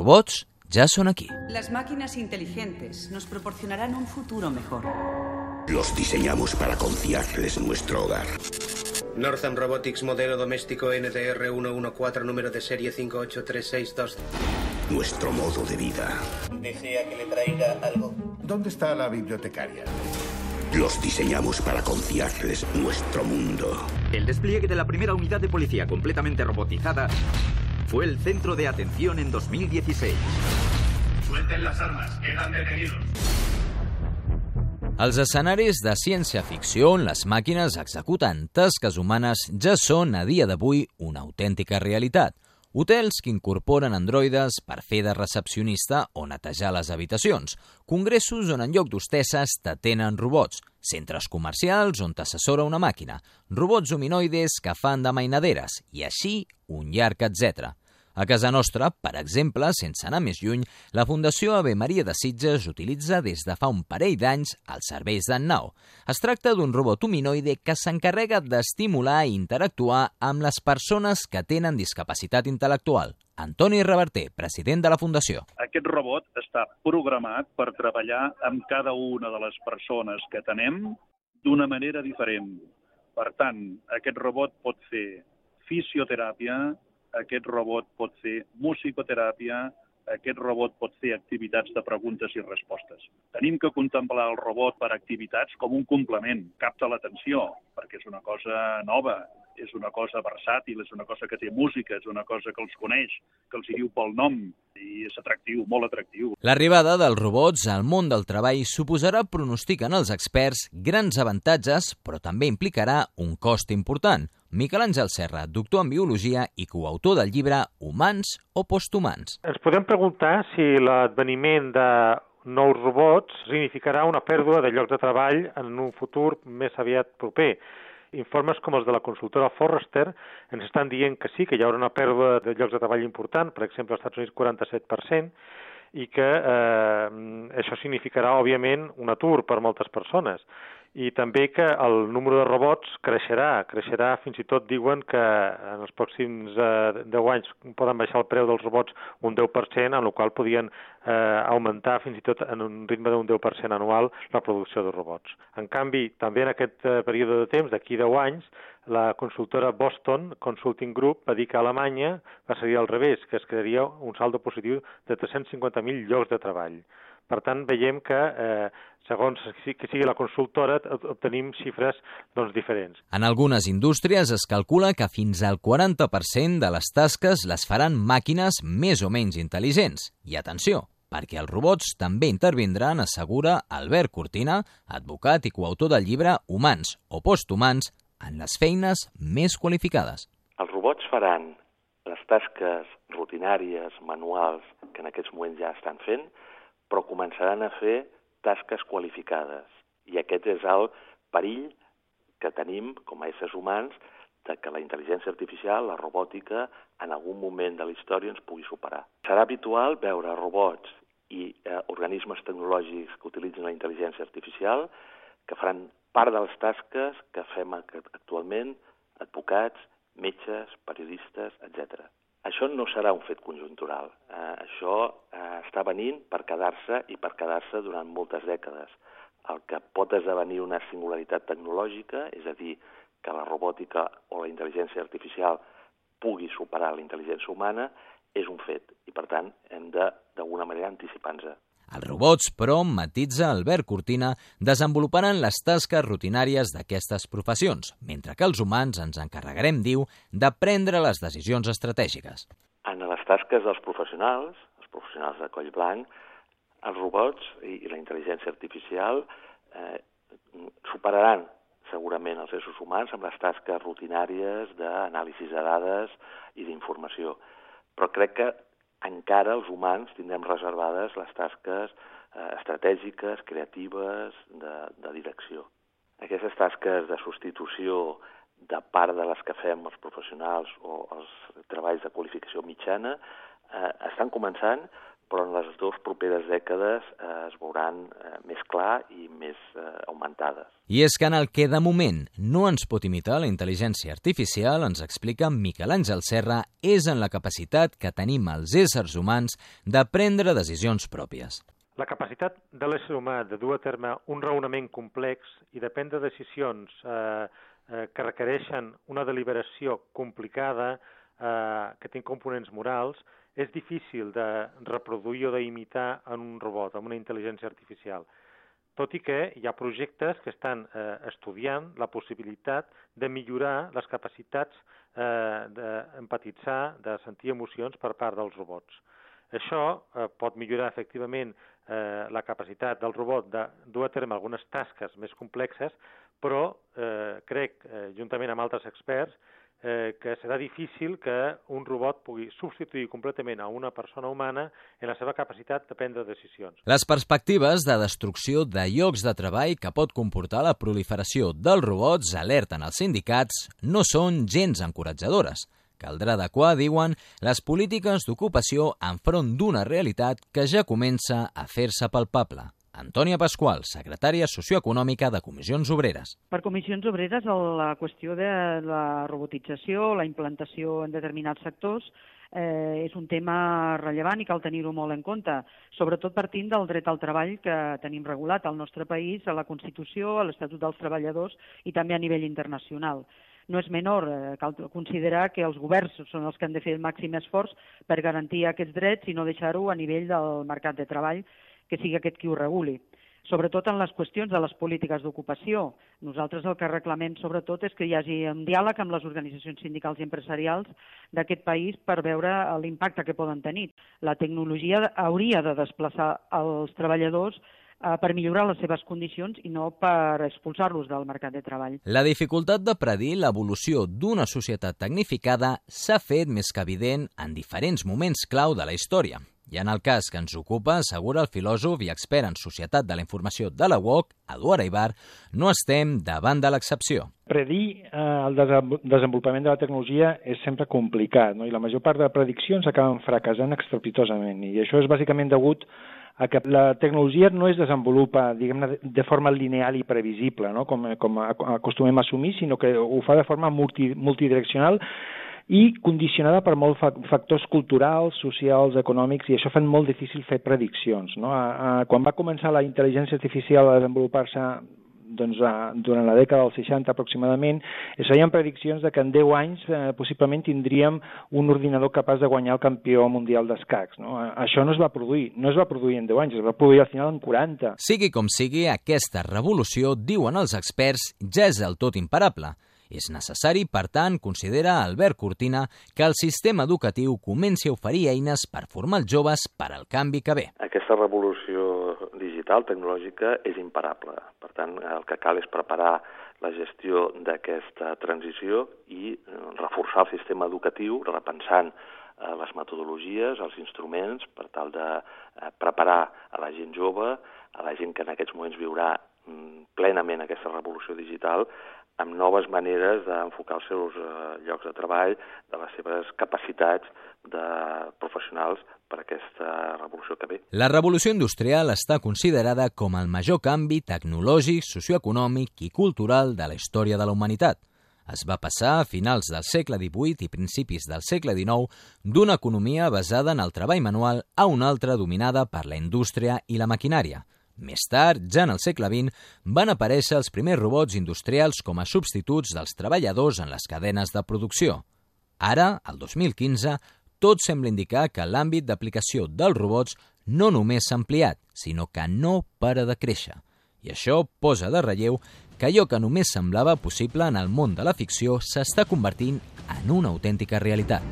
robots ya son aquí. Las máquinas inteligentes nos proporcionarán un futuro mejor. Los diseñamos para confiarles nuestro hogar. Northam Robotics, modelo doméstico NDR 114, número de serie 58362. Nuestro modo de vida. ¿Desea que le traiga algo? ¿Dónde está la bibliotecaria? Los diseñamos para confiarles nuestro mundo. El despliegue de la primera unidad de policía completamente robotizada fue el centro de atención en 2016. Suelten las armas, quedan detenidos. Els escenaris de ciència-ficció on les màquines executen tasques humanes ja són a dia d'avui una autèntica realitat. Hotels que incorporen androides per fer de recepcionista o netejar les habitacions, congressos on en lloc d'hostesses t'atenen robots, centres comercials on t'assessora una màquina, robots humanoides que fan de mainaderes i així un llarg etcètera. A casa nostra, per exemple, sense anar més lluny, la Fundació Ave Maria de Sitges utilitza des de fa un parell d'anys els serveis d'en-nau. Es tracta d'un robot humanoide que s'encarrega d'estimular i interactuar amb les persones que tenen discapacitat intel·lectual. Antoni Reverter, president de la Fundació. Aquest robot està programat per treballar amb cada una de les persones que tenem d'una manera diferent. Per tant, aquest robot pot fer fisioteràpia, aquest robot pot fer musicoteràpia, aquest robot pot fer activitats de preguntes i respostes. Tenim que contemplar el robot per activitats com un complement, capta l'atenció, perquè és una cosa nova, és una cosa versàtil, és una cosa que té música, és una cosa que els coneix, que els hi diu pel nom, i és atractiu, molt atractiu. L'arribada dels robots al món del treball suposarà, pronostiquen els experts, grans avantatges, però també implicarà un cost important. Miquel Àngel Serra, doctor en Biologia i coautor del llibre Humans o posthumans. Ens podem preguntar si l'adveniment de nous robots significarà una pèrdua de llocs de treball en un futur més aviat proper. Informes com els de la consultora Forrester ens estan dient que sí, que hi haurà una pèrdua de llocs de treball important, per exemple, als Estats Units 47%, i que això significarà, òbviament, un atur per moltes persones. I també que el número de robots creixerà, fins i tot diuen que en els pròxims 10 anys poden baixar el preu dels robots un 10%, en el qual podien augmentar fins i tot en un ritme d'un 10% anual la producció de robots. En canvi, també en aquest període de temps, d'aquí 10 anys, la consultora Boston Consulting Group va dir que a Alemanya va ser al revés, que es crearia un saldo positiu de 350.000 llocs de treball. Per tant, veiem que, segons que sigui la consultora, obtenim xifres diferents. En algunes indústries es calcula que fins al 40% de les tasques les faran màquines més o menys intel·ligents. I atenció, perquè els robots també intervindran, assegura Albert Cortina, advocat i coautor del llibre Humans o posthumans, en les feines més qualificades. Els robots faran les tasques rutinàries, manuals, que en aquests moments ja estan fent, però començaran a fer tasques qualificades. I aquest és el perill que tenim com a éssers humans de que la intel·ligència artificial, la robòtica, en algun moment de la història ens pugui superar. Serà habitual veure robots i organismes tecnològics que utilitzen la intel·ligència artificial que faran part de les tasques que fem actualment advocats, metges, periodistes, etc. Això no serà un fet conjuntural. Això està venint per quedar-se i per quedar-se durant moltes dècades. El que pot esdevenir una singularitat tecnològica, és a dir, que la robòtica o la intel·ligència artificial pugui superar la intel·ligència humana, és un fet. I, per tant, hem de, d'alguna manera, anticipar-nos. Els robots, però, matitza Albert Cortina, desenvoluparan les tasques rutinàries d'aquestes professions, mentre que els humans ens encarregarem, diu, de prendre les decisions estratègiques. En les tasques dels professionals de coll blanc, els robots i la intel·ligència artificial superaran segurament els éssers humans amb les tasques rutinàries d'anàlisi de dades i d'informació. Però crec que encara els humans tindrem reservades les tasques estratègiques, creatives, de direcció. Aquestes tasques de substitució de part de les que fem els professionals o els treballs de qualificació mitjana estan començant, però en les 2 properes dècades es veuran més clar i més augmentades. I és que en el que de moment no ens pot imitar la intel·ligència artificial, ens explica Miquel Àngel Serra, és en la capacitat que tenim els éssers humans de prendre decisions pròpies. La capacitat de l'ésser humà de dur a terme un raonament complex i de prendre decisions que requereixen una deliberació complicada, que té components morals, és difícil de reproduir o d'imitar en un robot, en una intel·ligència artificial. Tot i que hi ha projectes que estan estudiant la possibilitat de millorar les capacitats d'empatitzar, de sentir emocions per part dels robots. Això pot millorar efectivament la capacitat del robot de dur a terme algunes tasques més complexes, però crec, juntament amb altres experts, que serà difícil que un robot pugui substituir completament a una persona humana en la seva capacitat de prendre decisions. Les perspectives de destrucció de llocs de treball que pot comportar la proliferació dels robots, alerten els sindicats, no són gens encoratjadores. Caldrà adequar, diuen, les polítiques d'ocupació enfront d'una realitat que ja comença a fer-se palpable. Antònia Pasqual, secretària socioeconòmica de Comissions Obreres. Per Comissions Obreres, la qüestió de la robotització, la implantació en determinats sectors, és un tema rellevant i cal tenir-ho molt en compte, sobretot partint del dret al treball que tenim regulat al nostre país, a la Constitució, a l'Estatut dels Treballadors i també a nivell internacional. No és menor, cal considerar que els governs són els que han de fer el màxim esforç per garantir aquests drets i no deixar-ho a nivell del mercat de treball, que sigui aquest qui ho reguli. Sobretot en les qüestions de les polítiques d'ocupació. Nosaltres el que reclamem sobretot és que hi hagi un diàleg amb les organitzacions sindicals i empresarials d'aquest país per veure l'impacte que poden tenir. La tecnologia hauria de desplaçar els treballadors per millorar les seves condicions i no per expulsar-los del mercat de treball. La dificultat de predir l'evolució d'una societat tecnificada s'ha fet més que evident en diferents moments clau de la història. I en el cas que ens ocupa, assegura el filòsof i expert en societat de la informació de la UOC, Eduard Aibar, no estem davant de l'excepció. Predir el desenvolupament de la tecnologia és sempre complicat, no? I la major part de prediccions acaben fracassant estrepitosament, i això és bàsicament degut a que la tecnologia no es desenvolupa, diguem-ne, de forma lineal i previsible, no? com acostumem a assumir, sinó que ho fa de forma multidireccional i condicionada per molts factors culturals, socials, econòmics, i això fa molt difícil fer prediccions, no? Quan va començar la intel·ligència artificial a desenvolupar-se durant la dècada dels 60 aproximadament, es feien prediccions de que en 10 anys possiblement tindríem un ordinador capaç de guanyar el campió mundial d'escacs, no? Això no es va produir en 10 anys, es va produir al final en 40. Sigui com sigui, aquesta revolució, diuen els experts, ja és del tot imparable. És necessari, per tant, considera Albert Cortina, que el sistema educatiu comenci a oferir eines per formar els joves per al canvi que ve. Aquesta revolució digital, tecnològica, és imparable. Per tant, el que cal és preparar la gestió d'aquesta transició i reforçar el sistema educatiu, repensant les metodologies, els instruments, per tal de preparar a la gent jove, a la gent que en aquests moments viurà plenament aquesta revolució digital, amb noves maneres d'enfocar els seus llocs de treball, de les seves capacitats professionals per a aquesta revolució que ve. La revolució industrial està considerada com el major canvi tecnològic, socioeconòmic i cultural de la història de la humanitat. Es va passar a finals del segle XVIII i principis del segle XIX d'una economia basada en el treball manual a una altra dominada per la indústria i la maquinària. Més tard, ja en el segle XX, van aparèixer els primers robots industrials com a substituts dels treballadors en les cadenes de producció. Ara, el 2015, tot sembla indicar que l'àmbit d'aplicació dels robots no només s'ha ampliat, sinó que no para de créixer. I això posa de relleu que allò que només semblava possible en el món de la ficció s'està convertint en una autèntica realitat.